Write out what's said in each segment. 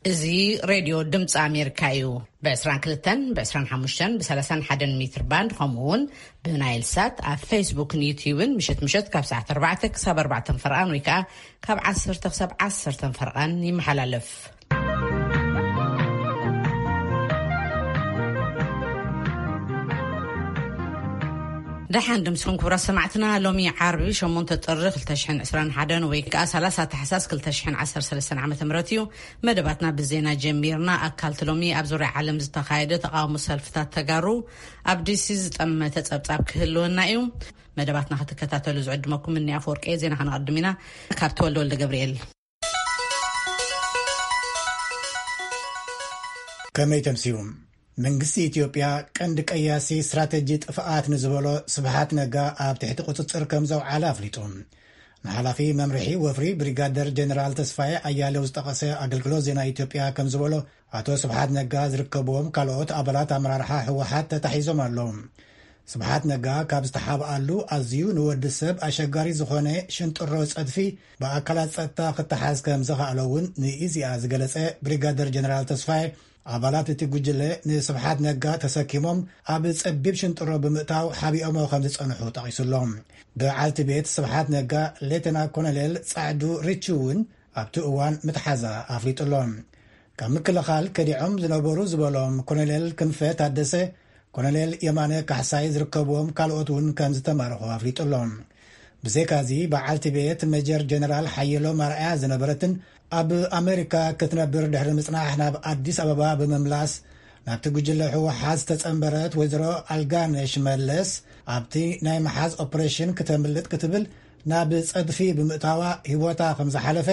እዚ ሬድዮ ድምፂ ኣሜሪካ እዩ። ብ22፣ ብ25፣ ብ31 ሜትር ባንድ፣ ከምኡ እውን ብናይል ሳት ኣብ ፌስቡክን ዩትዩብን ምሸት ምሸት ካብ ሰዓት ኣርባዕተ ክሳብ ኣርባዕተ ፈርቓን ወይ ከዓ ካብ ዓሰርተ ክሳብ ዓሰርተ ፈርቓን ይመሓላለፍ። ደሓን ድምስኹም ክቡራት ሰማዕትና። ሎሚ ዓርቢ ሸሞንተ ጥሪ ክልተ ሽሕን ዕስራን ሓደን ወይ ከዓ ሰላሳ ታሕሳስ ክልተ ሽሕን ዓሰርተ ሰለስተን ዓመተ ምህረት እዩ። መደባትና ብዜና ጀሚርና። ኣካልቲ ሎሚ ኣብ ዙርያ ዓለም ዝተኻየደ ተቃውሞ ሰልፍታት ተጋሩ፣ ኣብ ዲሲ ዝጠመተ ጸብጻብ ክህልወና እዩ። መደባትና ክትከታተሉ ዝዕድመኩም እኒ ኣፈወርቂ። ዜና ከነቐድም ኢና። ካብ ተወልደ ወልደ ገብርኤል። ከመይ ተምስዩ? መንግስቲ ኢትዮጵያ ቀንዲ ቀያሲ ስትራተጂ ጥፍኣት ንዝበሎ ስብሓት ነጋ ኣብ ትሕቲ ቁጽጽር ከም ዘውዓለ ኣፍሊጡ። ንሓላፊ መምርሒ ወፍሪ ብሪጋደር ጀነራል ተስፋዬ ኣያሌው ዝጠቐሰ ኣገልግሎት ዜና ኢትዮጵያ ከም ዝበሎ፣ ኣቶ ስብሓት ነጋ ዝርከብዎም ካልኦት ኣባላት ኣመራርሓ ህወሓት ተታሒዞም ኣለዉ። ስብሓት ነጋ ካብ ዝተሓብኣሉ ኣዝዩ ንወዲ ሰብ ኣሸጋሪ ዝኾነ ሽንጥሮ ጸድፊ ብኣካላት ጸጥታ ክተሓዝ ከም ዘኽኣሎ እውን ንኢዜኣ ዝገለጸ ብሪጋደር ጀነራል ተስፋዬ፣ ኣባላት እቲ ጉጅለ ንስብሓት ነጋ ተሰኪሞም ኣብ ጸቢብ ሽንጥሮ ብምእታው ሓቢኦሞ ከም ዝጸንሑ ጠቒሱሎም። በዓልቲ ቤት ስብሓት ነጋ ሌተና ኮሎኔል ጻዕዱ ሪቹ እውን ኣብቲ እዋን ምትሓዛ ኣፍሊጡሎ። ካብ ምክልኻል ከዲዖም ዝነበሩ ዝበሎም ኮሎኔል ክንፈ ታደሰ፣ ኮሎኔል የማነ ካሕሳይ ዝርከብዎም ካልኦት እውን ከም ዝተማረኹ ኣፍሊጡሎ። ብዘይካዚ በዓልቲ ቤት ሜጀር ጀነራል ሓየሎም ኣርኣያ ዝነበረትን ኣብ ኣሜሪካ ክትነብር ድሕሪ ምጽናሕ ናብ ኣዲስ ኣበባ ብምምላስ ናብቲ ጉጅለ ህወሓት ዝተጸንበረት ወይዘሮ ኣልጋነሽ መለስ፣ ኣብቲ ናይ መሓዝ ኦፕሬሽን ክተምልጥ ክትብል ናብ ጸድፊ ብምእታዋ ህይወታ ከም ዝሓለፈ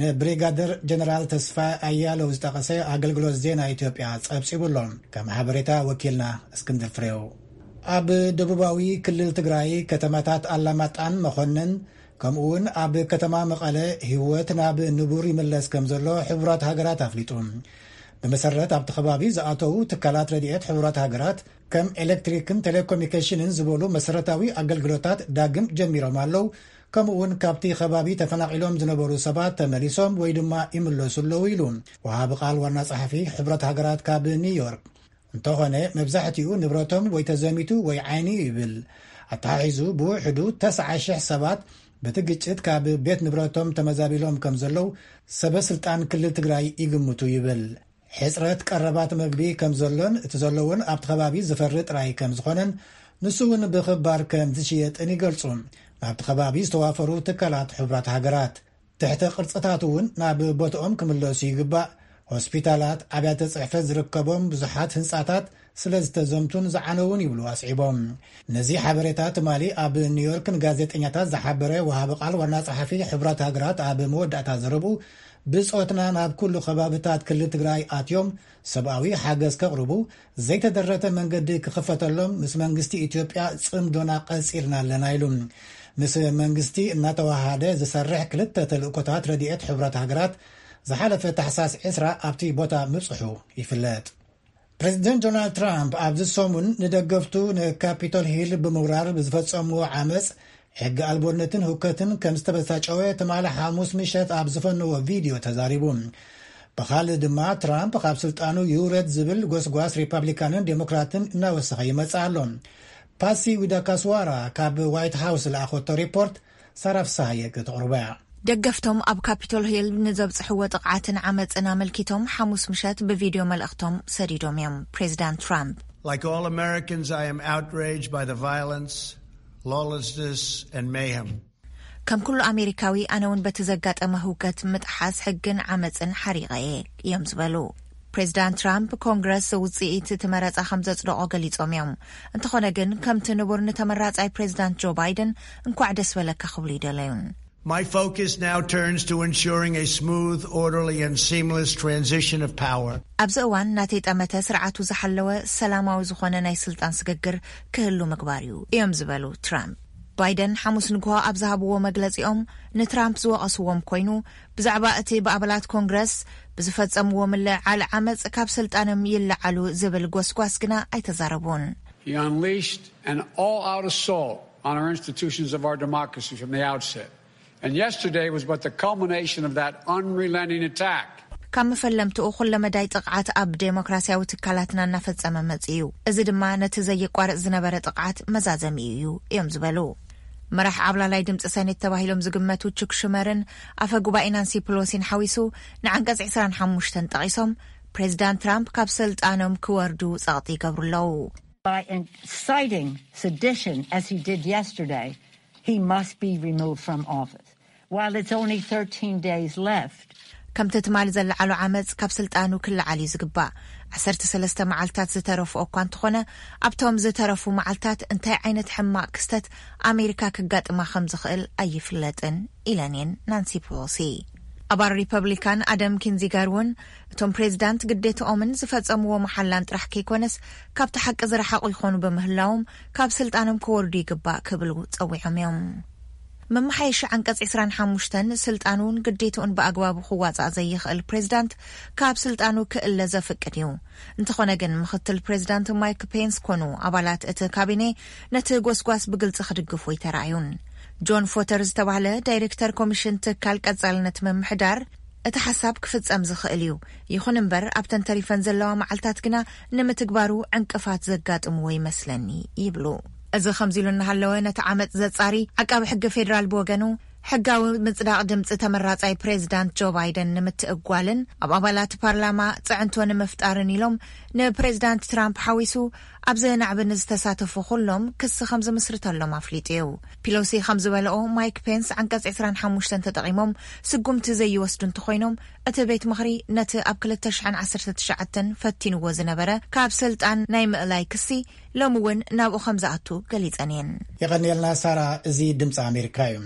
ንብሪጋደር ጀነራል ተስፋ ኣያለው ዝጠቐሰ ኣገልግሎት ዜና ኢትዮጵያ ጸብጺቡ ኣሎ። ከም ሓበሬታ ወኪልና እስክንድር ፍሬው። ኣብ ደቡባዊ ክልል ትግራይ ከተማታት ኣላማጣን መኾነን ከምኡ እውን ኣብ ከተማ መቐለ ህይወት ናብ ንቡር ይምለስ ከም ዘሎ ሕቡራት ሃገራት ኣፍሊጡ። ብመሰረት ኣብቲ ከባቢ ዝኣተዉ ትካላት ረድኤት ሕቡራት ሃገራት፣ ከም ኤሌክትሪክን ቴሌኮሙኒኬሽንን ዝበሉ መሰረታዊ ኣገልግሎታት ዳግም ጀሚሮም ኣለዉ። ከምኡ እውን ካብቲ ከባቢ ተፈናቒሎም ዝነበሩ ሰባት ተመሊሶም ወይ ድማ ይምለሱ ኣለዉ ኢሉ ወሃቢ ቃል ዋና ጸሓፊ ሕቡራት ሃገራት ካብ ኒውዮርክ። እንተኾነ መብዛሕትኡ ንብረቶም ወይ ተዘሚቱ ወይ ዓይኒ ይብል። ኣተሓሒዙ ብውሕዱ ተስዓ ሽሕ ሰባት በቲ ግጭት ካብ ቤት ንብረቶም ተመዛቢሎም ከም ዘለዉ ሰበ ስልጣን ክልል ትግራይ ይግምቱ ይብል። ሕጽረት ቀረባት መግቢ ከም ዘሎን እቲ ዘሎውን ኣብቲ ከባቢ ዝፈሪ ጥራይ ከም ዝኾነን ንሱ እውን ብኽባር ከም ዝሽየጥን ይገልጹ ናብቲ ከባቢ ዝተዋፈሩ ትካላት ሕቡራት ሃገራት። ትሕተ ቅርጽታት እውን ናብ ቦትኦም ክምለሱ ይግባእ። ሆስፒታላት፣ ኣብያተ ጽሕፈት ዝርከቦም ብዙሓት ህንጻታት ስለ ዝተዘምቱን ዝዓነውን ይብሉ ኣስዒቦም። ነዚ ሓበሬታ ትማሊ ኣብ ኒውዮርክ ንጋዜጠኛታት ዝሓበረ ወሃቢ ቃል ዋና ጸሓፊ ሕቡራት ሃገራት ኣብ መወዳእታ ዘረብኡ፣ ብጾትና ናብ ኩሉ ከባብታት ክልል ትግራይ ኣትዮም ሰብኣዊ ሓገዝ ከቕርቡ፣ ዘይተደረተ መንገዲ ክኽፈተሎም ምስ መንግስቲ ኢትዮጵያ ጽምዶና ቀጺልና ኣለና ኢሉ። ምስ መንግስቲ እናተዋሃደ ዝሰርሕ ክልተ ተልእኮታት ረድኤት ሕቡራት ሃገራት ዝሓለፈ ታሕሳስ ዕስራ ኣብቲ ቦታ ምብጽሑ ይፍለጥ። ፕሬዚደንት ዶናልድ ትራምፕ ኣብዚ ሰሙን ንደገፍቱ ንካፒቶል ሂል ብምውራር ብዝፈጸምዎ ዓመፅ፣ ሕጊ ኣልቦነትን ሁከትን ከም ዝተበሳጨወ ትማሊ ሓሙስ ምሸት ኣብ ዝፈነዎ ቪድዮ ተዛሪቡ። ብኻልእ ድማ ትራምፕ ካብ ስልጣኑ ይውረድ ዝብል ጎስጓስ ሪፓብሊካንን ዴሞክራትን እናወሰኸ ይመጽእ ኣሎ። ፓሲ ዊዳካስዋራ ካብ ዋይት ሃውስ ዝለኣኸቶ ሪፖርት ሳራ ፍሳሃየ ከተቕርቦ እያ። ደገፍቶም ኣብ ካፒቶል ሂል ንዘብጽሕዎ ጥቕዓትን ዓመጽን ኣመልኪቶም ሓሙስ ምሸት ብቪድዮ መልእኽቶም ሰዲዶም እዮም። ፕሬዚዳንት ትራምፕ፣ Like all Americans, I am outraged by the violence, lawlessness, and mayhem. ከም ኩሉ ኣሜሪካዊ፣ ኣነ እውን በቲ ዘጋጠመ ህውከት፣ ምጥሓስ ሕግን ዓመጽን ሓሪቐ እየ እዮም ዝበሉ ፕሬዚዳንት ትራምፕ። ኮንግረስ ውጽኢት እቲ መረጻ ከም ዘጽደቖ ገሊጾም እዮም። እንተኾነ ግን፣ ከምቲ ንቡር ንተመራጻይ ፕሬዚዳንት ጆ ባይደን እንኳዕ ደስ በለካ ክብሉ ይደለዩን። My focus now turns to ensuring a smooth, orderly, and seamless transition of power. ኣብዚ እዋን ናተይ ጠመተ ስርዓቱ ዝሓለወ ሰላማዊ ዝኾነ ናይ ስልጣን ስግግር ክህሉ ምግባር እዩ እዮም ዝበሉ ትራምፕ። ባይደን ሓሙስ ንግሆ ኣብ ዝሃብዎ መግለጺኦም ንትራምፕ ዝወቐስዎም ኮይኑ፣ ብዛዕባ እቲ ብኣባላት ኮንግረስ ብዝፈጸምዎ ምልዕዓል ዓመጽ ካብ ስልጣኖም ይለዓሉ ዝብል ጎስጓስ ግና ኣይተዛረቡን። He unleashed an all-out assault on our institutions of our democracy from the outset. And yesterday was but the culmination of that unrelenting attack. ካብ መፈለምትኡ ኩለመዳይ ጥቕዓት ኣብ ዴሞክራሲያዊ ትካላትና እናፈጸመ መጺኡ እዩ። እዚ ድማ ነቲ ዘየቋርጽ ዝነበረ ጥቕዓት መዛዘሚኡ እዩ እዮም ዝበሉ። መራሕ ዓብላላይ ድምፂ ሰኔት ተባሂሎም ዝግመቱ ቹክ ሹመርን ኣፈ ጉባኤ ናንሲ ፕሎሲን ሓዊሱ ንዓንቀጽ ዕስራን ሓሙሽተን ጠቒሶም ፕሬዚዳንት ትራምፕ ካብ ስልጣኖም ክወርዱ ጸቕጢ ይገብሩ ኣለዉ። By inciting sedition as he did yesterday, he must be removed from office. While it's only thirteen days left, ከምቲ ትማሊ ዝለዓሎ ዓመፅ ካብ ስልጣኑ ክለዓል እዩ ዝግባእ። ዓሰርተ ሰለስተ መዓልታት ዝተረፍኦ እኳ እንተኾነ ኣብቶም ዝተረፉ መዓልታት እንታይ ዓይነት ሕማቕ ክስተት ኣሜሪካ ክጋጥማ ከም ዝኽእል ኣይፍለጥን ኢለን እየን ናንሲ ፕሎሲ። ኣባል ሪፐብሊካን ኣደም ኪንዚጋር እውን እቶም ፕሬዚዳንት ግዴትኦምን ዝፈጸምዎ መሓላን ጥራሕ ከይኮነስ ካብቲ ሓቂ ዝረሓቑ ይኾኑ ብምህላዎም ካብ ስልጣኖም ክወርዱ ይግባእ ክብሉ ጸዊዖም እዮም። መመሓየሺ ዓንቀጽ ዕስራን ሓሙሽተን ስልጣኑን ግዴትኡን ብኣግባቡ ክዋጻእ ዘይኽእል ፕሬዚዳንት ካብ ስልጣኑ ክእለ ዘፍቅድ እዩ። እንተኾነ ግን ምኽትል ፕሬዚዳንት ማይክ ፔንስ ኮኑ ኣባላት እቲ ካቢኔ ነቲ ጎስጓስ ብግልጺ ክድግፉ ኣይተራእዩን። ጆን ፎተር ዝተባህለ ዳይሬክተር ኮሚሽን ትካል ቀጻልነት ምምሕዳር እቲ ሓሳብ ክፍጸም ዝኽእል እዩ፣ ይኹን እምበር ኣብተን ተሪፈን ዘለዋ መዓልታት ግና ንምትግባሩ ዕንቅፋት ዘጋጥምዎ ይመስለኒ ይብሉ። እዚ ከምዚ ኢሉ እናሃለወ ነቲ ዓመጽ ዘጻሪ ዓቃቢ ሕጊ ፌዴራል ብወገኑ ሕጋዊ ምጽዳቕ ድምጺ ተመራጻይ ፕሬዚዳንት ጆ ባይደን ንምትእጓልን ኣብ ኣባላት ፓርላማ ጽዕንቶ ንምፍጣርን ኢሎም ንፕሬዚዳንት ትራምፕ ሓዊሱ ኣብዚ ናዕቢ ንዝተሳተፉ ኩሎም ክሲ ከም ዝምስርተሎም ኣፍሊጡ እዩ። ፒሎሲ ከም ዝበለኦ ማይክ ፔንስ ዓንቀጽ ዕስራን ሓሙሽተን ተጠቒሞም ስጉምቲ ዘይወስዱ እንተኾይኖም እቲ ቤት ምኽሪ ነቲ ኣብ ክልተ ሽሕን ዓሰርተ ትሽዓተን ፈቲንዎ ዝነበረ ካብ ስልጣን ናይ ምእላይ ክሲ ሎሚ እውን ናብኡ ከም ዝኣቱ ገሊጸን እየን። የቐንየልና ሳራ። እዚ ድምፂ ኣሜሪካ እዩ።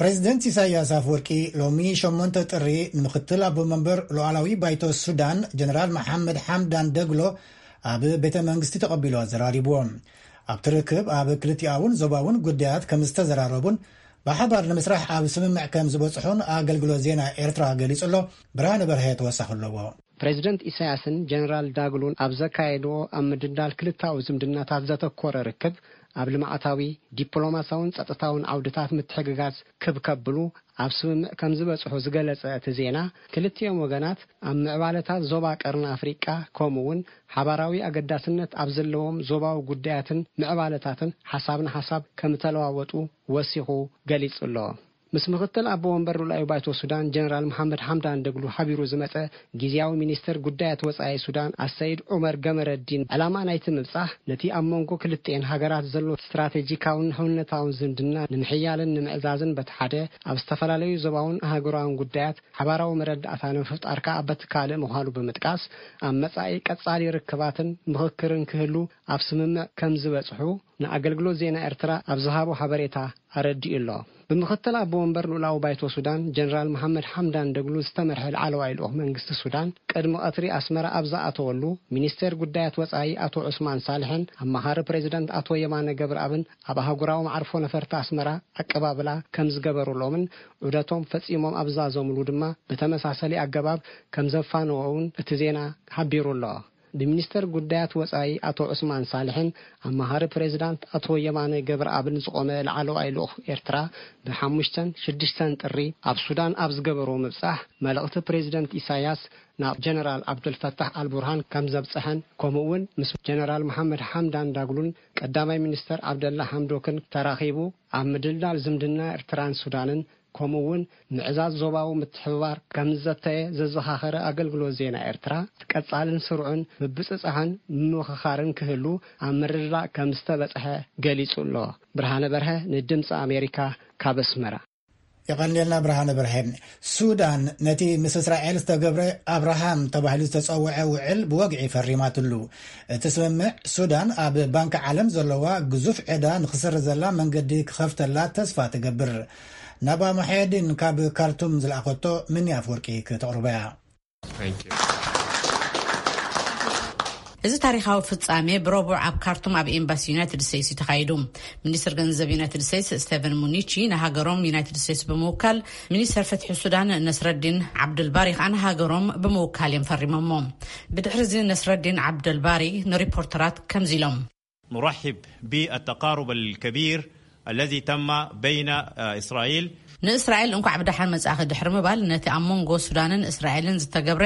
ፕሬዚደንት ኢሳያስ ኣፈወርቂ ሎሚ ሸሞንተ ጥሪ ንምክትል ኣቦ መንበር ሉዓላዊ ባይቶ ሱዳን ጀነራል መሓመድ ሓምዳን ደግሎ ኣብ ቤተ መንግስቲ ተቐቢሉ ኣዘራሪብዎ። ኣብቲ ርክብ ኣብ ክልቲኣውን ዞባውን ጉዳያት ከም ዝተዘራረቡን ብሓባር ንምስራሕ ኣብ ስምምዕ ከም ዝበፅሑን ኣገልግሎት ዜና ኤርትራ ገሊጹ ኣሎ። ብርሃነ በርሀ ተወሳኺ ኣለዎ። ፕሬዚደንት ኢሳያስን ጀነራል ዳግሎን ኣብ ዘካየድዎ ኣብ ምድልዳል ክልታዊ ዝምድናታት ዘተኮረ ርክብ ኣብ ልምዓታዊ፣ ዲፕሎማሲያውን ጸጥታውን ዓውድታት ምትሕግጋዝ ክብ ከብሉ ኣብ ስምምዕ ከም ዝበጽሑ ዝገለጸ እቲ ዜና፣ ክልቲኦም ወገናት ኣብ ምዕባለታት ዞባ ቀርኒ ኣፍሪቃ ከምኡ እውን ሓባራዊ ኣገዳስነት ኣብ ዘለዎም ዞባዊ ጉዳያትን ምዕባለታትን ሓሳብ ንሓሳብ ከም እተለዋወጡ ወሲኹ ገሊጹ ኣሎ። ምስ ምኽትል ኣቦ ወንበር ሉላዊ ባይቶ ሱዳን ጀነራል መሓመድ ሓምዳን ደግሉ ሓቢሩ ዝመጸ ግዝያዊ ሚኒስተር ጉዳያት ወጻኢ ሱዳን ኣሰይድ ዑመር ገመረዲን፣ ዕላማ ናይቲ ምብጻሕ ነቲ ኣብ መንጎ ክልቲኤን ሃገራት ዘሎ ስትራቴጂካውን ሕውነታውን ዝምድና ንምሕያልን ንምዕዛዝን በቲ ሓደ፣ ኣብ ዝተፈላለዩ ዞባውን ኣህጉራውን ጉዳያት ሓባራዊ መረዳእታ ንምፍጣር ከኣ በቲ ካልእ ምዃኑ ብምጥቃስ፣ ኣብ መጻኢ ቀጻሊ ርክባትን ምኽክርን ክህሉ ኣብ ስምምዕ ከም ዝበጽሑ ንኣገልግሎት ዜና ኤርትራ ኣብ ዝሃቦ ሓበሬታ ኣረዲኡ ኣሎ። ብምኽትል ኣቦ ወንበር ልኡላዊ ባይቶ ሱዳን ጀነራል መሓመድ ሓምዳን ደግሉ ዝተመርሐ ላዕለዋይ ልኡኽ መንግስቲ ሱዳን ቅድሚ ቀትሪ ኣስመራ ኣብ ዝኣተወሉ፣ ሚኒስቴር ጉዳያት ወጻኢ ኣቶ ዑስማን ሳልሕን ኣማኻሪ ፕሬዚደንት ኣቶ የማነ ገብረኣብን ኣብ ኣህጉራዊ መዓርፎ ነፈርቲ ኣስመራ ኣቀባብላ ከም ዝገበሩሎምን ዑደቶም ፈጺሞም ኣብ ዝዛዘሙሉ ድማ ብተመሳሰሊ ኣገባብ ከም ዘፋነዎ እውን እቲ ዜና ሓቢሩ ኣሎ። ብሚኒስተር ጉዳያት ወጻኢ ኣቶ ዑስማን ሳልሕን ኣማኻሪ ፕሬዚዳንት ኣቶ የማነ ገብረኣብን ዝቖመ ላዕለዋይ ልኡኽ ኤርትራ ብሓሙሽተን ሽዱሽተን ጥሪ ኣብ ሱዳን ኣብ ዝገበርዎ ምብጻሕ፣ መልእኽቲ ፕሬዚደንት ኢሳያስ ናብ ጀነራል ዓብዱልፈታሕ ኣልቡርሃን ከም ዘብጽሐን፣ ከምኡ እውን ምስ ጀነራል መሓመድ ሓምዳን ዳግሉን ቀዳማይ ሚኒስተር ዓብደላ ሓምዶክን ተራኺቡ ኣብ ምድልዳል ዝምድና ኤርትራን ሱዳንን ከምኡ እውን ምዕዛዝ ዞባዊ ምትሕብባር ከም ዝዘተየ ዘዘኻኸረ ኣገልግሎት ዜና ኤርትራ፣ ቀጻልን ስሩዕን ምብጽጻሕን ምምኽኻርን ክህሉ ኣብ ምርድዳእ ከም ዝተበጽሐ ገሊጹ ኣሎ። ብርሃነ በርሀ ንድምጺ ኣሜሪካ ካብ ኣስመራ። የቐንየልና ብርሃነ በርሀ። ሱዳን ነቲ ምስ እስራኤል ዝተገብረ ኣብርሃም ተባሂሉ ዝተጸውዐ ውዕል ብወግዒ ፈሪማትሉ። እቲ ስምምዕ ሱዳን ኣብ ባንኪ ዓለም ዘለዋ ግዙፍ ዕዳ ንኽስርዘላ መንገዲ ክኸፍተላ ተስፋ ትገብር። ናባ ሙሐየዲን ካብ ካርቱም ዝለኣኸቶ ምኒ ኣፍወርቂ ክተቕርቦ እያ። እዚ ታሪኻዊ ፍጻሜ ብረቡዕ ኣብ ካርቱም ኣብ ኤምባሲ ዩናይትድ ስቴትስ እዩ ተኻይዱ። ሚኒስትር ገንዘብ ዩናይትድ ስቴትስ ስቴቨን ሙኒቺ ንሃገሮም ዩናይትድ ስቴትስ ብምውካል፣ ሚኒስተር ፍትሒ ሱዳን ነስረዲን ዓብዱልባሪ ከኣ ንሃገሮም ብምውካል እዮም ፈሪሞሞ። ብድሕሪ እዚ ነስረዲን ዓብዱልባሪ ንሪፖርተራት ከምዚ ኢሎም። نرحب بالتقارب الكبير الذي تم بين إسرائيل ንእስራኤል እንኳዕ ብደሓን መጻእኺ ድሕሪ ምባል፣ ነቲ ኣብ መንጎ ሱዳንን እስራኤልን ዝተገብረ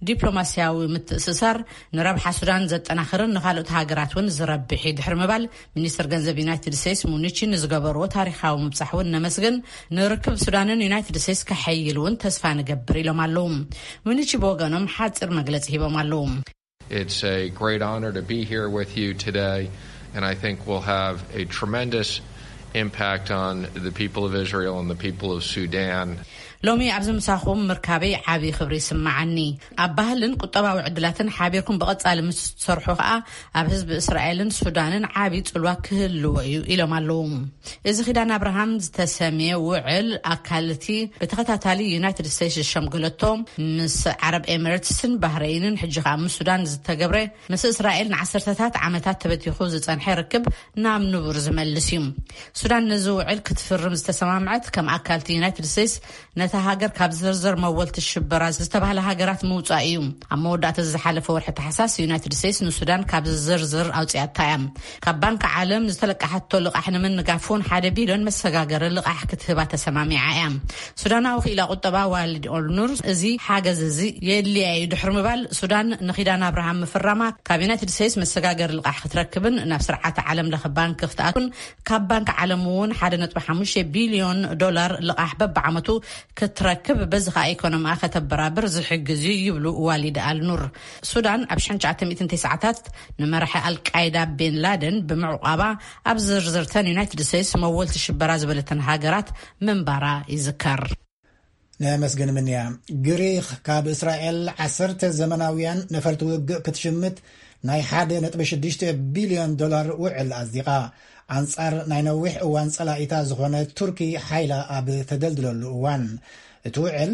ዲፕሎማስያዊ ምትእስሳር ንረብሓ ሱዳን ዘጠናኽርን ንኻልኦት ሃገራት እውን ዝረብሕ እዩ ድሕሪ ምባል፣ ሚኒስትር ገንዘብ ዩናይትድ ስቴትስ ሙኒቺ ንዝገበርዎ ታሪኻዊ ምብጻሕ እውን ነመስግን። ንርክብ ሱዳንን ዩናይትድ ስቴትስ ከሐይል እውን ተስፋ ንገብር ኢሎም ኣለዉ። ሙኒቺ ብወገኖም ሓጺር መግለጺ ሂቦም ኣለዉ። It's a great honor to be here with you today, and I think will have a tremendous impact on the people of Israel and the people of Sudan. ሎሚ ኣብዚ ምሳኹም ምርካበይ ዓቢ ክብሪ ይስምዓኒ። ኣብ ባህልን ቁጠባዊ ዕድላትን ሓቢርኩም ብቐጻሊ ምስ ትሰርሑ ከኣ ኣብ ህዝቢ እስራኤልን ሱዳንን ዓቢ ጽልዋ ክህልዎ እዩ ኢሎም ኣለዉ። እዚ ኪዳን ኣብርሃም ዝተሰምየ ውዕል ኣካል እቲ ብተኸታታሊ ዩናይትድ ስቴትስ ዝሸምገለቶ ምስ ዓረብ ኤምሬትስን ባህረይንን ሕጂ ከኣ ምስ ሱዳን ዝተገብረ ምስ እስራኤል ንዓሰርተታት ዓመታት ተበቲኹ ዝጸንሐ ርክብ ናብ ንቡር ዝመልስ እዩ። ሱዳን ነዚ ውዕል ክትፍርም ዝተሰማምዐት ከም ኣካል እቲ ዩናይትድ ስቴትስ ነታ ሃገር ካብ ዝርዝር መወልቲ ሽበራ ዝተባህለ ሃገራት ምውጻእ እዩ። ኣብ መወዳእታ ዝሓለፈ ወርሒ ታሕሳስ ዩናይትድ ስቴትስ ንሱዳን ካብ ዝርዝር ኣውጺኣታ እያ። ካብ ባንክ ዓለም ዝተለቃሓቶ ልቓሕ ንምንጋፍ እውን ሓደ ቢልዮን መሰጋገሪ ልቓሕ ክትህባ ተሰማሚዓ እያ። ሱዳናዊ ክኢላ ቁጠባ ዋሊድ ኦልኑር እዚ ሓገዝ እዚ የድልያ እዩ ድሕሪ ምባል፣ ሱዳን ንኪዳን ኣብርሃም ምፍራማ ካብ ዩናይትድ ስቴትስ መሰጋገሪ ልቓሕ ክትረክብን ናብ ስርዓት ዓለም ለኸ ባንክ ክትኣቱን ካብ ባንክ ዓለም እውን ሓደ ነጥቢ ሓሙሽተ ቢልዮን ዶላር ልቓሕ በብዓመቱ ክትረክብ፣ በዚ ከኣ ኢኮኖሚኣ ከተበራብር ዝሕግዝ እዩ ይብሉ ዋሊድ ኣልኑር። ሱዳን ኣብ ሽሕን ትሽዓተ ሚእትን ተስዓታት ንመራሒ ኣልቃይዳ ቤን ላደን ብምዕቋባ ኣብ ዝርዝርተን ዩናይትድ ስቴትስ መወልቲ ሽበራ ዝበለተን ሃገራት ምንባራ ይዝከር። ነመስግን ምንያ። ግሪኽ ካብ እስራኤል ዓሰርተ ዘመናውያን ነፈርቲ ውግእ ክትሽምት ናይ ሓደ ነጥቢ ሽዱሽተ ቢልዮን ዶላር ውዕል ኣጽዲቓ። ኣንጻር ናይ ነዊሕ እዋን ጸላኢታ ዝኾነ ቱርኪ ሓይላ ኣብ ተደልድለሉ እዋን፣ እቲ ውዕል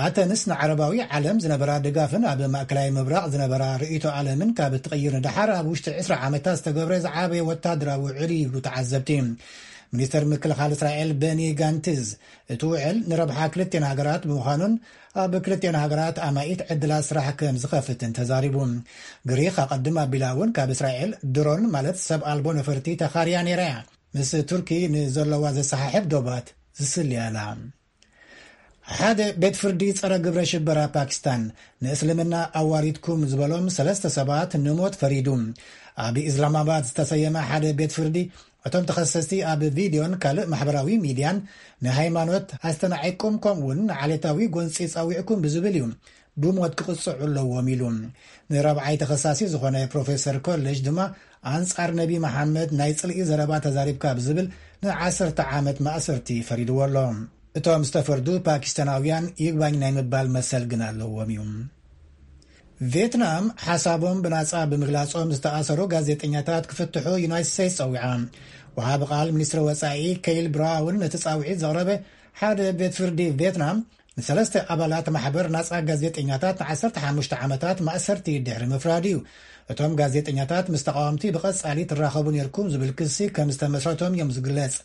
ኣተንስ ንዓረባዊ ዓለም ዝነበራ ድጋፍን ኣብ ማእከላይ ምብራቕ ዝነበራ ርእይቶ ዓለምን ካብ እትቕይር ንደሓር ኣብ ውሽጢ ዕስራ ዓመታት ዝተገብረ ዝዓበየ ወታደራዊ ውዕል እዩ ይብሉ ተዓዘብቲ። ሚኒስተር ምክልኻል እስራኤል በኒ ጋንትዝ፣ እቲ ውዕል ንረብሓ ክልቴን ሃገራት ብምዃኑን ኣብ ክልቴን ሃገራት ኣማኢት ዕድላት ስራሕ ከም ዝኸፍትን ተዛሪቡ። ግሪኽ ኣቐድም ኣቢላ እውን ካብ እስራኤል ድሮን ማለት ሰብ ኣልቦ ነፈርቲ ተኻርያ ነይራ እያ። ምስ ቱርኪ ንዘለዋ ዘሰሓሕብ ዶባት ዝስልያ እላ። ሓደ ቤት ፍርዲ ጸረ ግብረ ሽበራ ፓኪስታን ንእስልምና ኣዋሪድኩም ዝበሎም ሰለስተ ሰባት ንሞት ፈሪዱ። ኣብ ኢስላማባድ ዝተሰየመ ሓደ ቤት ፍርዲ፣ እቶም ተኸሰስቲ ኣብ ቪድዮን ካልእ ማሕበራዊ ሚድያን ንሃይማኖት ኣስተናዒቅኩም ከምኡውን ንዓሌታዊ ጎንፂ ጸዊዕኩም ብዝብል እዩ ብሞት ክቕፅዑ ኣለዎም ኢሉ። ንራብዓይ ተኸሳሲ ዝኾነ ፕሮፌሰር ኮሌጅ ድማ ኣንጻር ነቢ መሓመድ ናይ ጽልኢ ዘረባ ተዛሪብካ ብዝብል ንዓሰርተ ዓመት ማእሰርቲ ፈሪድዎ ኣሎ። እቶም ዝተፈርዱ ፓኪስታናውያን ይግባኝ ናይ ምባል መሰል ግን ኣለዎም እዩ። ቪየትናም ሓሳቦም ብናጻ ብምግላጾም ዝተኣሰሩ ጋዜጠኛታት ክፍትሑ ዩናይትድ ስቴትስ ጸዊዓ። ወሃቢ ቃል ሚኒስትሪ ወጻኢ ኬይል ብራውን ነቲ ጻውዒት ዘቕረበ ሓደ ቤት ፍርዲ ቪየትናም ንሰለስተ ኣባላት ማሕበር ናጻ ጋዜጠኛታት ንዓሰርተ ሓሙሽተ ዓመታት ማእሰርቲ ድሕሪ ምፍራድ እዩ። እቶም ጋዜጠኛታት ምስ ተቃወምቲ ብቐጻሊ ትራኸቡ ነርኩም ዝብል ክሲ ከም ዝተመስረቶም እዮም ዝግለጽ።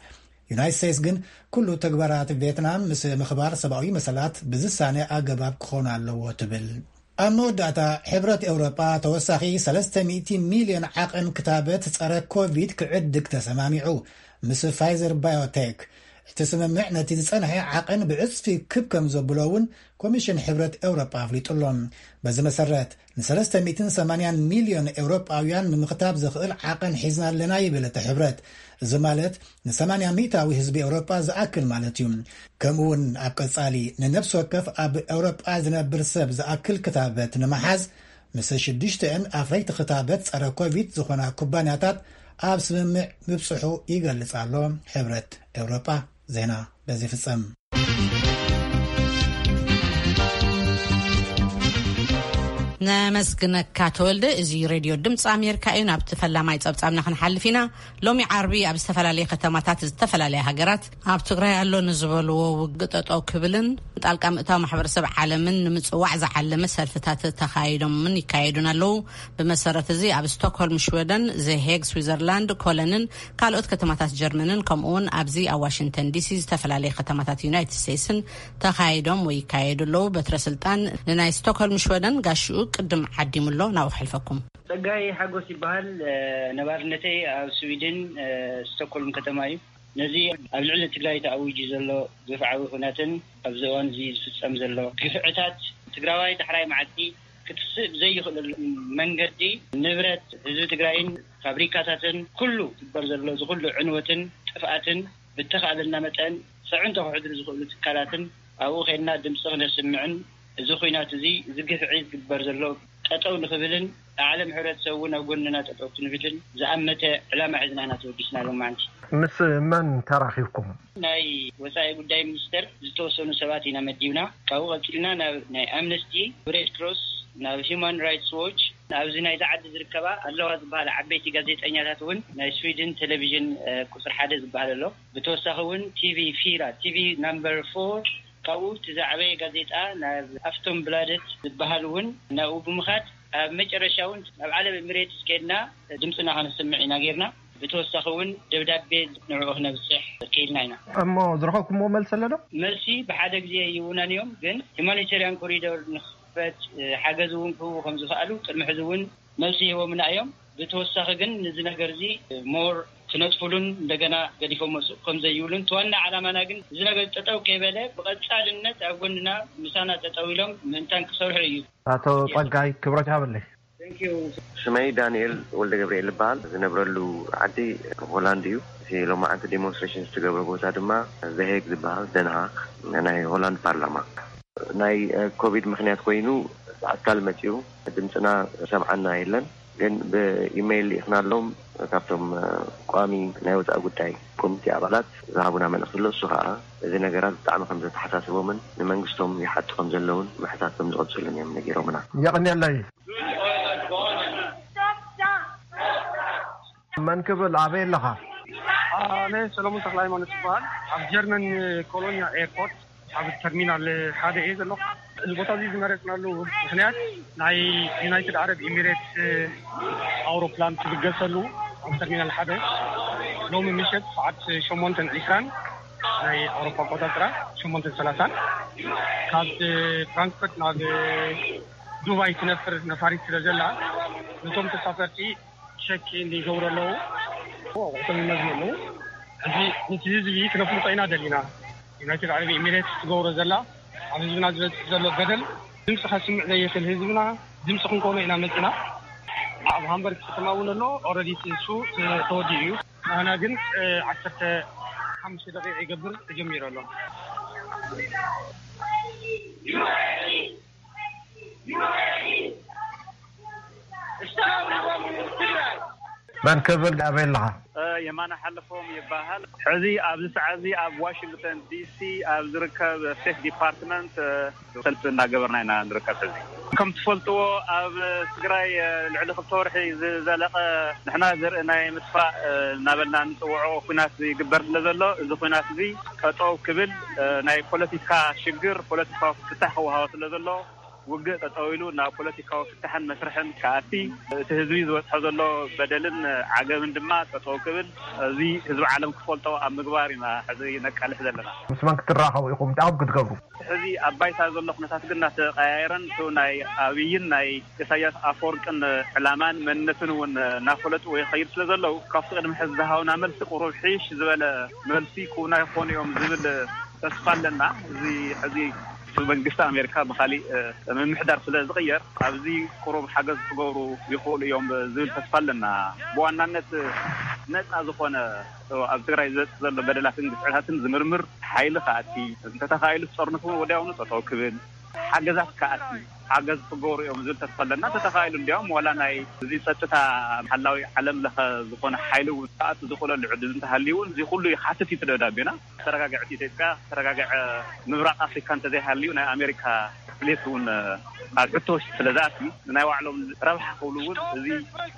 ዩናይትድ ስቴትስ ግን ኩሉ ተግባራት ቪየትናም ምስ ምኽባር ሰብኣዊ መሰላት ብዝሳነ ኣገባብ ክኾን ኣለዎ ትብል። ኣብ መወዳእታ ሕብረት ኤውሮጳ ተወሳኺ ሰለስተ ሚእቲ ሚልዮን ዓቐን ክታበት ጸረ ኮቪድ ክዕድግ ተሰማሚዑ ምስ ፋይዘር ባዮቴክ። እቲ ስምምዕ ነቲ ዝጸንሐ ዓቐን ብዕጽፊ ክብ ከም ዘብሎ እውን ኮሚሽን ሕብረት ኤውሮጳ ኣፍሊጡ ኣሎ። በዚ መሰረት ንሰለስተ ሚእትን ሰማንያን ሚልዮን ኤውሮጳውያን ንምኽታብ ዘኽእል ዓቐን ሒዝና ኣለና ይብል እቲ ሕብረት። እዚ ማለት ንሰማንያ ሚእታዊ ህዝቢ ኤውሮጳ ዝኣክል ማለት እዩ። ከምኡ እውን ኣብ ቀጻሊ ንነፍሲ ወከፍ ኣብ ኤውሮጳ ዝነብር ሰብ ዝኣክል ክታበት ንምሓዝ ምስ ሽዱሽተአን ኣፍረይቲ ክታበት ጸረ ኮቪድ ዝኾና ኩባንያታት ኣብ ስምምዕ ምብጽሑ ይገልጽ ኣሎ ሕብረት ኤውሮጳ። ዜና በዚ ፍጸም። ነመስግነካ ተወልደ። እዚ ሬድዮ ድምፂ ኣሜሪካ እዩ። ናብቲ ፈላማይ ጸብጻብና ክንሓልፍ ኢና። ሎሚ ዓርቢ ኣብ ዝተፈላለየ ከተማታት ዝተፈላለያ ሃገራት ኣብ ትግራይ ኣሎ ንዝበልዎ ውግእ ጠጠው ክብልን ጣልቃ ምእታው ማሕበረሰብ ዓለምን ንምጽዋዕ ዝዓለመ ሰልፍታት ተኻይዶምን ይካየዱን ኣለዉ። ብመሰረት እዚ ኣብ ስቶክሆልም ሽወደን፣ ዘሄግ ስዊዘርላንድ፣ ኮለንን ካልኦት ከተማታት ጀርመንን ከምኡውን ኣብዚ ኣብ ዋሽንግተን ዲሲ ዝተፈላለየ ከተማታት ዩናይትድ ስቴትስን ተኻይዶም ወይ ይካየዱ ኣለዉ። በትረ ስልጣን ንናይ ስቶክሆልም ሽወደን ጋሽኡ ቅድም ዓዲሙ ኣሎ። ናብኡ ክሕልፈኩም። ጸጋይ ሓጎስ ይበሃል። ነባርነተይ ኣብ ስዊድን ስቶክሆልም ከተማ እዩ። ነዚ ኣብ ልዕሊ ትግራይ ተኣዊጁ ዘሎ ግፍዓዊ ኩነትን ኣብዚ እዋን እዚ ዝፍጸም ዘሎ ግፍዕታት ትግራዋይ ዳሕራይ መዓልቲ ክትስእ ብዘይኽእለሉ መንገዲ ንብረት ህዝቢ ትግራይን ፋብሪካታትን ኩሉ ዝግበር ዘሎ እዚ ኩሉ ዕንወትን ጥፍኣትን ብተኻእለና መጠን ፅዕንቶ ክሕድሩ ዝኽእሉ ትካላትን ኣብኡ ከይድና ድምፂ ክነስምዕን እዚ ኩናት እዚ እዚ ግፍዒ ዝግበር ዘሎ ጠጠው ንኽብልን ዓለም ሕብረተሰብ እውን ኣብ ጎንና ጠጠው ክንብልን ዝኣመተ ዕላማ ሒዝና ኢና ተወዲስና ሎማዓንቲ። ምስ መን ተራኺብኩም? ናይ ወፃኢ ጉዳይ ሚኒስተር ዝተወሰኑ ሰባት ኢና መዲብና። ካብኡ ቀፂልና ናብ ናይ ኣምነስቲ፣ ሬድ ክሮስ፣ ናብ ሂማን ራይትስ ዎች፣ ኣብዚ ናይዚ ዓዲ ዝርከባ ኣለዋ ዝበሃላ ዓበይቲ ጋዜጠኛታት እውን ናይ ስዊድን ቴሌቪዥን ቁፅሪ ሓደ ዝበሃል ኣሎ። ብተወሳኺ እውን ቲቪ ፊራ፣ ቲቪ ናምበር ፎር፣ ካብኡ እቲ ዝዓበየ ጋዜጣ ናብ ኣፍቶም ብላደት ዝበሃል እውን ናብኡ ብምኻድ ኣብ መጨረሻ እውን ናብ ዓለም ኤምሬትስ ከድና ድምፅና ከነስምዕ ኢና ጌርና። ብተወሳኺ እውን ደብዳቤ ንዕኡ ክነብፅሕ ክኢልና ኢና። እሞ ዝረኸብኩምዎ መልሲ ኣሎ ዶ? መልሲ ብሓደ ግዜ ይውናን እዮም፣ ግን ሂማኒቴሪያን ኮሪዶር ንክፈት ሓገዝ እውን ክህቡ ከም ዝኽኣሉ ቅድሚ ሕዚ እውን መልሲ ሂቦምና እዮም። ብተወሳኺ ግን ንዚ ነገር እዚ ሞር ክነጥፉሉን እንደገና ገዲፎም መፅኡ ከም ዘይብሉን እቲ ዋና ዓላማና ግን እዚ ነገር ጠጠው ከይበለ ብቐፃልነት ኣብ ጎንና ምሳና ጠጠው ኢሎም ምእንታን ክሰርሑ እዩ። ኣቶ ጸጋይ ክብረት ይሃበለይ። ሽመይ ዳንኤል ወልደ ገብርኤል ይበሃል። ዝነብረሉ ዓዲ ሆላንድ እዩ። እቲ ሎማዓንቲ ዴሞንስትሬሽን ዝተገብረ ቦታ ድማ ዘሄግ ዝበሃል ደንሃክ ናይ ሆላንድ ፓርላማ ናይ ኮቪድ ምክንያት ኮይኑ ብኣካል መፂኡ ድምፅና ሰምዓና የለን። ግን ብኢሜይል ልኢኽናሎም ካብቶም ቋሚ ናይ ወፃኢ ጉዳይ ኮሚቴ ኣባላት ዝሃቡና መልእኽቲ ኣሎ። እሱ ከዓ እዚ ነገራት ብጣዕሚ ከም ዘተሓሳስቦምን ንመንግስቶም ይሓቱ ከም ዘለውን ምሕታት ከም ዝቐፅሉን እዮም ነጊሮምና። የቐንየለይ። መን ክብል ኣበይ ኣለኻ? ኣነ ሰሎሞን ተክለ ሃይማኖት ይበሃል። ኣብ ጀርመን ኮሎኛ ኤርፖርት ኣብ ተርሚናል ሓደ እየ ዘለኹ። እዚ ቦታ እዚ ዝመረፅናሉ ምክንያት ናይ ዩናይትድ ዓረብ ኤሚሬትስ ኣውሮፕላን ትብገሰሉ ኣብ ተርሚናል ሓደ ሎሚ ምሸት ሰዓት ሸሞንተን ዕስራን ናይ ኣውሮፓ ኣቆፃፅራ ሸሞንተን ሰላሳን ካብ ፍራንክፈርት ናብ ዱባይ ትነፍር ነፋሪት ስለ ዘላ ነቶም ተሳፈርቲ ሸኪ ይገብሩ ኣለዉ። እቶም ይመዝኑ ኣለዉ። እዚ ነቲ ህዝቢ ክነፍልጦ ኢና ደሊና። ዩናይትድ ዓረብ ኤሚሬትስ ትገብሮ ዘላ ኣብ ህዝብና ዝበፅሕ ዘሎ በደል ድምፂ ከስምዕ ዘየኽእል ህዝብና ድምፂ ክንኮኖ ኢና መፂና። ኣብ ሃምበርግ ከተማ እውን ኣሎ። ኦረዲ እሱ ተወዲኡ እዩ። ንሕና ግን ዓሰርተ ሓሙሽተ ደቂቕ ይገብር ተጀሚሩ ኣሎ። መን ክብል ኣበይ ኣለኻ? የማነ ሓለፎም ይበሃል። ሕዚ ኣብዚ ሰዓት እዚ ኣብ ዋሽንግተን ዲሲ ኣብ ዝርከብ ስቴት ዲፓርትመንት ሰልፊ እናገበርና ኢና ንርከብ። ሕዚ ከም ትፈልጥዎ ኣብ ትግራይ ልዕሊ ክልተ ወርሒ ዝዘለቐ ንሕና ዘርኢ ናይ ምጥፋእ እናበልና ንፅውዖ ኩናት ይግበር ስለ ዘሎ እዚ ኩናት እዚ ጠጠው ክብል ናይ ፖለቲካ ሽግር ፖለቲካዊ ፍታሕ ክወሃቦ ስለ ዘሎ ውግእ ጠጠው ኢሉ ናብ ፖለቲካዊ ፍታሕን መስርሕን ክኣቲ እቲ ህዝቢ ዝበፅሖ ዘሎ በደልን ዓገብን ድማ ጠጠው ክብል እዚ ህዝቢ ዓለም ክፈልጦ ኣብ ምግባር ኢና ሕዚ ነቃልሕ ዘለና። ምስ መን ክትራኸቡ ኢኹም? እንታይ ኢኹም ክትገብሩ? ሕዚ ኣብ ባይታ ዘሎ ኩነታት ግን እናተቀያየረን እቲ ናይ ኣብይን ናይ ኢሳያስ ኣፈወርቅን ዕላማን መንነትን እውን እናፈለጡ ይኸይድ ስለ ዘለዉ ካብቲ ቅድሚ ሕዚ ዝሃውና መልሲ ቁሩብ ሕይሽ ዝበለ መልሲ ክውና ይኾኑ እዮም ዝብል ተስፋ ኣለና። እዚ ሕዚ መንግስቲ ኣሜሪካ ብካሊእ ምምሕዳር ስለ ዝቕየር ኣብዚ ቁሩብ ሓገዝ ክገብሩ ይኽእሉ እዮም ዝብል ተስፋ ኣለና። ብዋናነት ነፃ ዝኾነ ኣብ ትግራይ ዝበፅሕ ዘሎ በደላትን ግፍዕታትን ዝምርምር ሓይሊ ክኣቲ እንተተኻኢሉ ጦርነት እውን ወዲያውኑ ጠጠው ክብል ሓገዛት ክኣቲ ሓገዝ ክገብሩ እዮም ዝብል ተስፋ ኣለና። እንተተኻኢሉ እንዲያውም ዋላ ናይ እዚ ፀጥታ ሓላዊ ዓለም ለኸ ዝኾነ ሓይሊ እውን ክኣቱ ዝኽእለሉ ዕድል እንተሃልዩ እውን እዚ ኩሉ ይሓትት እዩ እቲ ደብዳቤና። ተረጋግዐት ኢትዮጵያ ተረጋግዐ ምብራቕ ኣፍሪካ እንተዘይሃልዩ ናይ ኣሜሪካ ድሌት እውን ኣብ ሕቶ ውሽጢ ስለ ዝኣትዩ ንናይ ባዕሎም ረብሓ ክብሉ እውን እዚ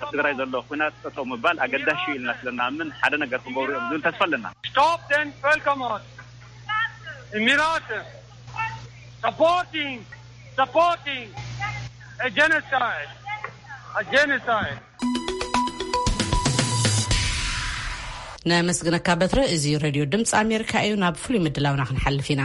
ኣብ ትግራይ ዘሎ ኩናት ጠጠው ምባል ኣገዳሽ እዩ ኢልና ስለ ንኣምን ሓደ ነገር ክገብሩ እዮም ዝብል ተስፋ ኣለና። Stop den Völkermord! Emirate! Supporting! Supporting! A genocide! A genocide! ነመስግነካ በትረ። እዚ ሬድዮ ድምፂ ኣሜሪካ እዩ። ናብ ፍሉይ ምድላውና ክንሓልፍ ኢና።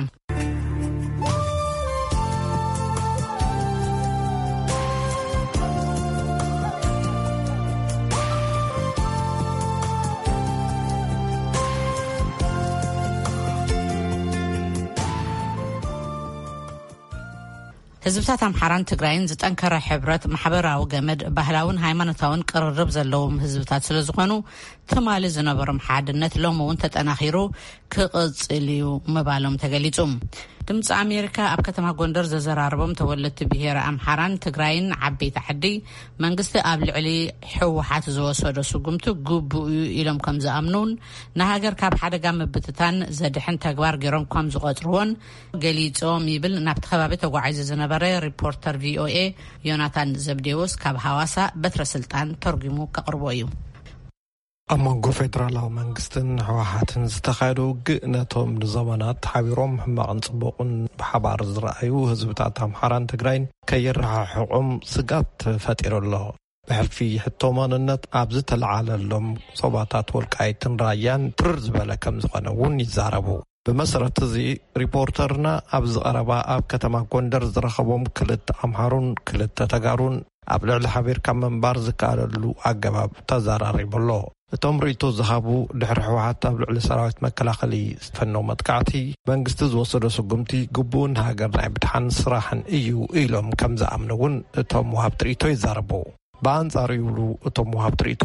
ህዝብታት ኣምሓራን ትግራይን ዝጠንከረ ሕብረት፣ ማሕበራዊ ገመድ፣ ባህላውን ሃይማኖታውን ቅርርብ ዘለዎም ህዝብታት ስለ ዝኾኑ፣ ትማሊ ዝነበሮም ሓድነት ሎሚ እውን ተጠናኺሩ ክቕጽል እዩ ምባሎም ተገሊጹ። ድምፂ ኣሜሪካ ኣብ ከተማ ጎንደር ዘዘራረቦም ተወለድቲ ብሄረ ኣምሓራን ትግራይን ዓበይቲ ዓዲ፣ መንግስቲ ኣብ ልዕሊ ህወሓት ዝወሰዶ ስጉምቲ ግቡእ እዩ ኢሎም ከም ዝኣምኑን፣ ንሃገር ካብ ሓደጋ ምብትታን ዘድሕን ተግባር ገይሮም ከም ዝቆጽርዎን ገሊጾም ይብል ናብቲ ከባቢ ተጓዒዙ ዝነበረ ሪፖርተር ቪኦኤ ዮናታን ዘብዴዎስ ካብ ሃዋሳ በትረ ስልጣን ተርጉሙ ከቕርቦ እዩ። ኣብ መንጎ ፌደራላዊ መንግስትን ህወሓትን ዝተኻየደ ውግእ፣ ነቶም ንዘመናት ሓቢሮም ሕማቕን ጽቡቕን ብሓባር ዝረኣዩ ህዝብታት ኣምሓራን ትግራይን ከየረሓሕቖም ስጋት ፈጢሩ ኣሎ። ብሕልፊ ሕቶ ማንነት ኣብ ዝተለዓለሎም ዞባታት ወልቃይትን ራያን ትርር ዝበለ ከም ዝኾነ እውን ይዛረቡ። ብመሰረት እዚ፣ ሪፖርተርና ኣብ ዝቐረባ ኣብ ከተማ ጎንደር ዝረኸቦም ክልተ ኣምሓሩን ክልተ ተጋሩን ኣብ ልዕሊ ሓቢርካ ምንባር ዝከኣለሉ ኣገባብ ተዘራሪቡ ኣሎ። እቶም ርእይቶ ዝሃቡ፣ ድሕሪ ህወሓት ኣብ ልዕሊ ሰራዊት መከላኸሊ ዝፈነው መጥቃዕቲ፣ መንግስቲ ዝወሰዶ ስጉምቲ ግቡእን ሃገር ናይ ምድሓን ስራሕን እዩ ኢሎም ከም ዝኣምኑ እውን እቶም ወሃብቲ ርእይቶ ይዛረቡ። ብኣንጻሩ ይብሉ እቶም ወሃብቲ ርእይቶ፣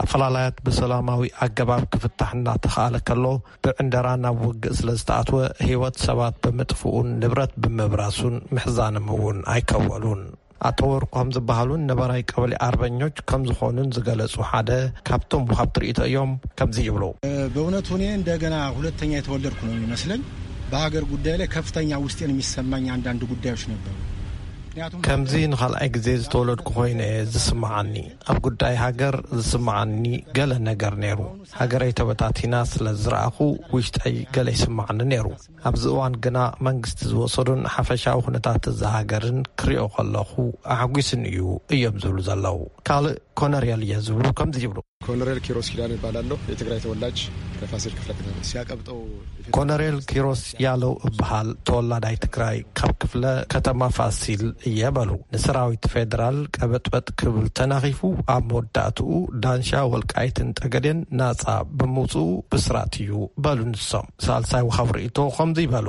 ኣፈላላያት ብሰላማዊ ኣገባብ ክፍታሕ እናተኻእለ ከሎ፣ ብዕንደራ ናብ ውግእ ስለ ዝተኣትወ፣ ህይወት ሰባት ብምጥፍኡን ንብረት ብምብራሱን ምሕዛኖም እውን ኣይከወሉን። ኣቶ ወርቆም ዝበሃሉን ነባራይ ቀበሌ ኣርበኞች ከም ዝኾኑን ዝገለጹ ሓደ ካብቶም ወሃብቲ ርእይቶ እዮም። ከምዚ ይብሉ። በእውነቱ እኔ እንደገና ሁለተኛ የተወለድኩ ነው የሚመስለኝ። በሀገር ጉዳይ ላይ ከፍተኛ ውስጤን የሚሰማኝ አንዳንድ ጉዳዮች ነበሩ። ምክንያቱም ከምዚ ንኻልኣይ ግዜ ዝተወለድኩ ኮይነ እየ ዝስምዓኒ። ኣብ ጉዳይ ሃገር ዝስምዓኒ ገለ ነገር ነይሩ። ሃገረይ ተበታቲና ስለ ዝረኣኹ ውሽጠይ ገለ ይስምዓኒ ነይሩ። ኣብዚ እዋን ግና መንግስቲ ዝወሰዶን ሓፈሻዊ ኩነታት እዛ ሃገርን ክሪኦ ከለኹ ኣሕጒስኒ እዩ እዮም ዝብሉ ዘለዉ። ካልእ ኮነርየል እየ ዝብሉ ከምዚ ይብሉ። ኮሎኔል ኪሮስ ኪዳነ እባላለሁ። የትግራይ ተወላጅ ከፋሲል ክፍለ ከተማ። ሲያቀብጠው ኮነሬል ኪሮስ ያለው እበሃል፣ ተወላዳይ ትግራይ ካብ ክፍለ ከተማ ፋሲል እየ በሉ። ንሰራዊት ፌደራል ቀበጥበጥ ክብል ተናኺፉ፣ ኣብ መወዳእትኡ ዳንሻ፣ ወልቃይትን ጠገዴን ናጻ ብምውፅኡ ብስራት እዩ በሉ ንሶም። ሳልሳይ ወሃብ ርእይቶ ከምዚ ይበሉ።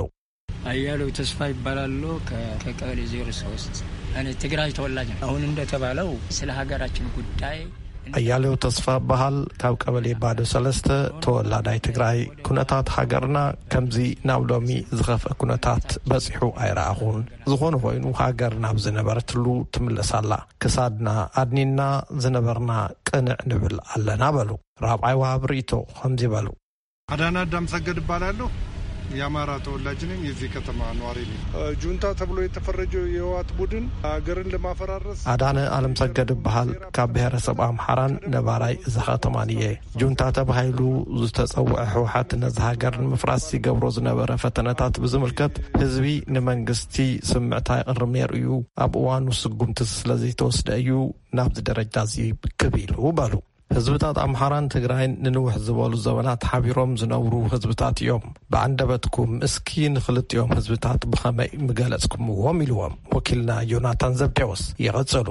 ኣያሌው ተስፋ ይባላሉ። ከ-፣ ከቀበሌ ዜሮ ሶስት። እኔ ትግራይ ተወላጅ ነኝ። አሁን እንደተባለው ስለ ሀገራችን ጉዳይ አያሌው ተስፋ በሃል፣ ካብ ቀበሌ ባዶ ሰለስተ፣ ተወላዳይ ትግራይ። ኩነታት ሃገርና ከምዚ ናብ ሎሚ ዝኸፍአ ኩነታት በጺሑ ኣይረኣኹን። ዝኾነ ኮይኑ ሃገር ናብ ዝነበረትሉ ትምለስ ኣላ። ክሳድና ኣድኒና ዝነበርና ቅንዕ ንብል ኣለና በሉ። ራብዓይ ወሃብ ርእይቶ ከምዚ በሉ። አዳና አዳም ሰገድ እባላለሁ። የአማራ ተወላጅ ነኝ። የዚህ ከተማ ነዋሪ ነኝ። እ፣ ጁንታ ተብሎ የተፈረጀው የህወሓት ቡድን ሀገርን ለማፈራረስ አዳነ አለም ሰገድ እበሃል። ካብ ብሔረሰብ ኣምሓራን ነባራይ እዛ ከተማን እየ። ጁንታ ተባሂሉ ዝተጸውዐ ህወሓት ነዚ ሃገር ንምፍራስ ይገብሮ ዝነበረ ፈተነታት ብዝምልከት ህዝቢ ንመንግስቲ ስምዕታ ይቕርብ ነይሩ እዩ። ኣብ እዋኑ ስጉምቲ ስለዘይተወስደ እዩ ናብዚ ደረጃ እዚ ክብ ኢሉ በሉ። ህዝብታት ኣምሓራን ትግራይን ንንውሕ ዝበሉ ዘበናት ሓቢሮም ዝነብሩ ህዝብታት እዮም። ብኣንደበትኩም እስኪ ንኽልቲኦም ህዝብታት ብኸመይ ምገለጽኩምዎም? ኢልዎም ወኪልና ዮናታን ዘብዴዎስ። ይቐጽሉ።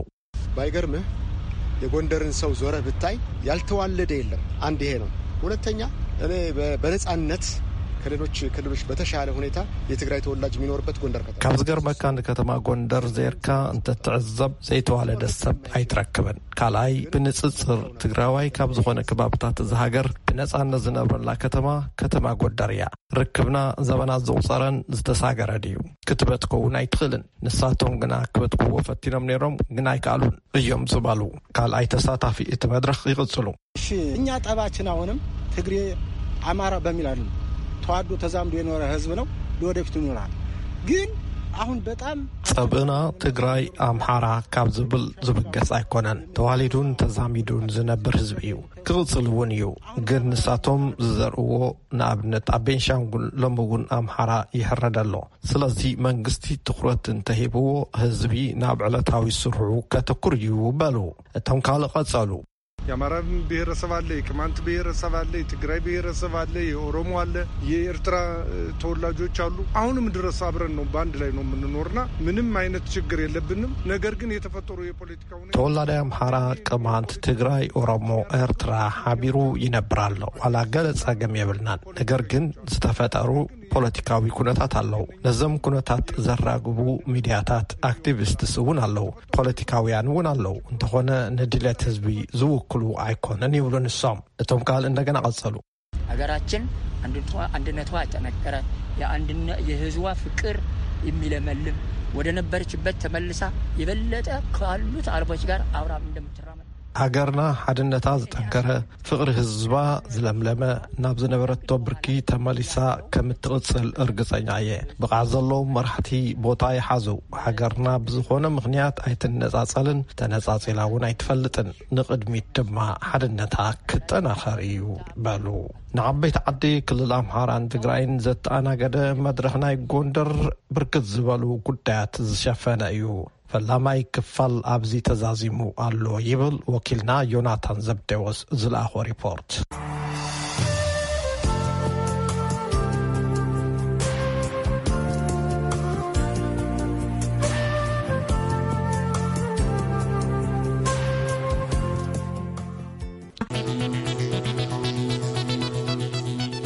ባይገርምህ፣ የጎንደርን ሰው ዞረህ ብታይ ያልተዋለደ የለም። አንድ ይሄ ነው። ሁለተኛ፣ እኔ በ-፣ በነጻነት ከሌሎች ክልሎች በተሻለ ሁኔታ የትግራይ ተወላጅ የሚኖርበት ጎንደር ከተማ። ካብ ዝገርመካ፣ ንከተማ ጎንደር ዜርካ እንተትዕዘብ ዘይተዋለደ ሰብ ኣይትረክብን። ካልኣይ፣ ብንጽጽር ትግራዋይ ካብ ዝኾነ ከባብታት እዛ ሃገር ብነጻነት ዝነብረላ ከተማ፣ ከተማ ጎንደር እያ። ርክብና ዘበናት ዘቑጸረን ዝተሳገረን እዩ ክትበል ትኸውን ኣይትኽእልን። ንሳቶም ግና ክበጥሕዎ ፈቲኖም ነይሮም፣ ግን ኣይከኣሉን እዮም ዝበሉ ካልኣይ ተሳታፊ እቲ መድረኽ ይቕጽሉ። እሺ፣ እኛ ጠባችን አሁንም ትግሬ፣ አማራ በሚል አይደለም። ተዋዶ ተዛምዶ የኖረ ህዝብ ነው፣ ለወደፊቱ ይኖራል። ግን አሁን በጣም ጸብእና ትግራይ፣ ኣምሓራ ካብ ዝብል ዝብገስ ኣይኮነን። ተዋሊዱን ተዛሚዱን ዝነብር ህዝቢ እዩ፣ ክቕጽል እውን እዩ። ግን ንሳቶም ዝዘርእዎ፣ ንኣብነት ኣብ ቤንሻንጉል ሎሚ እውን ኣምሓራ ይሕረድ ኣሎ። ስለዚ መንግስቲ ትኹረት እንተሂብዎ ህዝቢ ናብ ዕለታዊ ስርሑ ከተኩር እዩ በሉ። እቶም ካልእ ቀጸሉ። የአማራ ብሔረሰብ አለ፣ የቅማንት ብሔረሰብ አለ፣ የትግራይ ብሔረሰብ አለ፣ የኦሮሞ አለ፣ የኤርትራ ተወላጆች አሉ። አሁንም ድረስ አብረን ነው፣ በአንድ ላይ ነው የምንኖርና ምንም አይነት ችግር የለብንም። ነገር ግን የተፈጠሩ የፖለቲካ ሁኔታ ተወላዳይ አምሓራ፣ ቅማንት፣ ትግራይ፣ ኦሮሞ፣ ኤርትራ ሓቢሩ ይነብር ኣሎ። ዋላ ገለ ጸገም የብልናን። ነገር ግን ዝተፈጠሩ ፖለቲካዊ ኩነታት ኣለዉ። ነዞም ኩነታት ዘራግቡ ሚድያታት፣ ኣክቲቪስትስ እውን ኣለዉ። ፖለቲካውያን እውን ኣለዉ። እንተኾነ ንድልየት ህዝቢ ዝውክሉ ኣይኮነን ይብሉ ንሶም። እቶም ቃል እንደገና ቀጸሉ። ሀገራችን አንድነቷ፣ አንድነቷ የተነከረ፣ የአንድነ-፣ የህዝቧ ፍቅር የሚለመልም፣ ወደ ነበረችበት ተመልሳ የበለጠ ካሉት አረቦች ጋር አብራ እንደምትራመድ። ሃገርና ሓድነታ ዝጠንከረ፣ ፍቕሪ ህዝባ ዝለምለመ፣ ናብ ዝነበረቶ ብርኪ ተመሊሳ ከም እትቕጽል እርግጸኛ እየ። ብቕዓት ዘለዎም መራሕቲ ቦታ ይሓዙ። ሃገርና ብዝኾነ ምኽንያት ኣይትነጻጸልን፣ ተነጻጺላ እውን ኣይትፈልጥን። ንቕድሚት ድማ ሓድነታ ክጠናኸር እዩ በሉ። ንዓበይቲ ዓዲ ክልል ኣምሓራን ትግራይን ዘተኣናገደ መድረኽ ናይ ጎንደር ብርክት ዝበሉ ጉዳያት ዝሸፈነ እዩ። ፈላማይ ክፋል ኣብዚ ተዛዚሙ ኣሎ ይብል ወኪልና ዮናታን ዘብዴዎስ ዝለኣኾ ሪፖርት።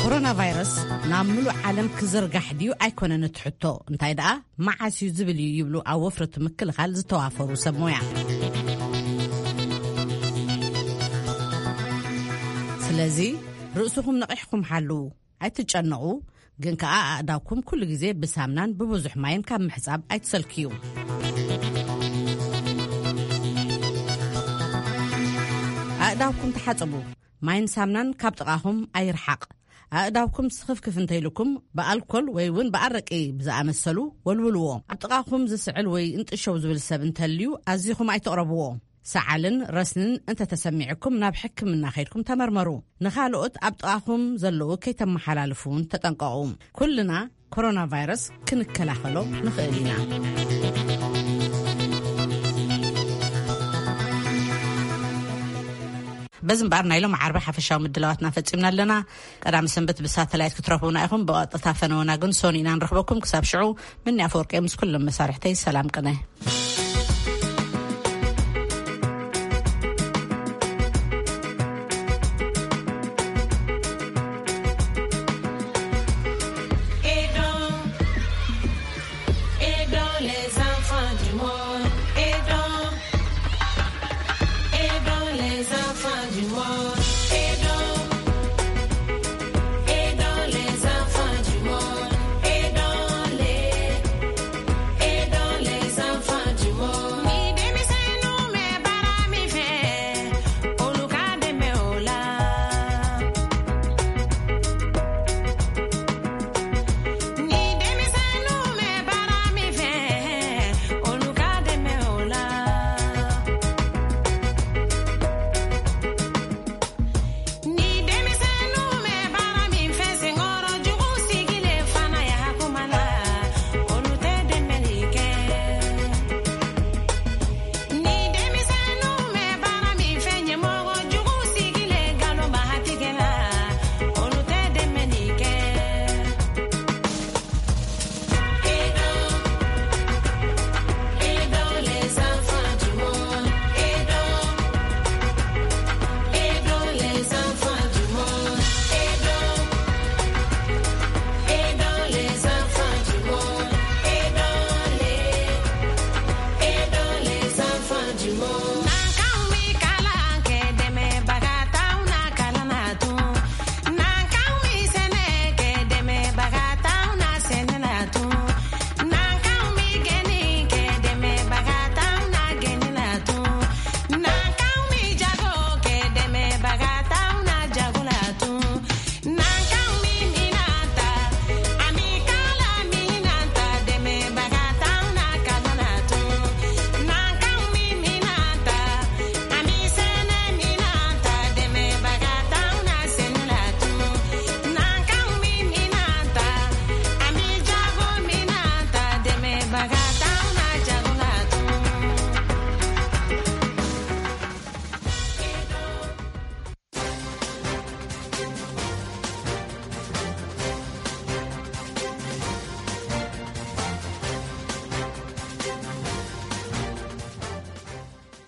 ኮሮና ቫይረስ ናብ ምሉእ ዓለም ክዝርጋሕ ድዩ ኣይኮነን እቲ ሕቶ፣ እንታይ ደኣ መዓስ እዩ ዝብል እዩ ይብሉ ኣብ ወፍሪ እቲ ምክልኻል ዝተዋፈሩ ሰብ ሞያ። ስለዚ ርእስኹም ነቒሕኩም ሓልዉ፣ ኣይትጨነቑ። ግን ከኣ ኣእዳውኩም ኩሉ ግዜ ብሳምናን ብብዙሕ ማይን ካብ ምሕጻብ ኣይትሰልክዩ። ኣእዳውኩም ተሓጸቡ። ማይን ሳምናን ካብ ጥቓኹም ኣይርሓቕ። ኣእዳውኩም ስኽፍክፍ እንተይልኩም ብኣልኮል ወይ እውን ብኣረቂ ብዝኣመሰሉ ወልውልዎ። ኣብ ጥቓኹም ዝስዕል ወይ እንጥሸው ዝብል ሰብ እንተልዩ ኣዚኹም ኣይትቕረብዎ። ሰዓልን ረስንን እንተተሰሚዕኩም ናብ ሕክምና ከይድኩም ተመርመሩ። ንኻልኦት ኣብ ጥቓኹም ዘለዉ ከይተመሓላልፉ እውን ተጠንቀቑ። ኩልና ኮሮና ቫይረስ ክንከላኸሎ ንኽእል ኢና። በዚ እምበኣር ናይ ሎም ዓርቢ ሓፈሻዊ ምድላዋትና ፈጺምና ኣለና። ቀዳሚ ሰንበት ብሳተላይት ክትረኽቡና ኢኹም። ብቐጥታ ፈነወና ግን ሶኒ ኢና ንረኽበኩም። ክሳብ ሽዑ፣ ምኒ ኣፈወርቂ ምስ ኩሎም መሳርሕተይ ሰላም ቅነ።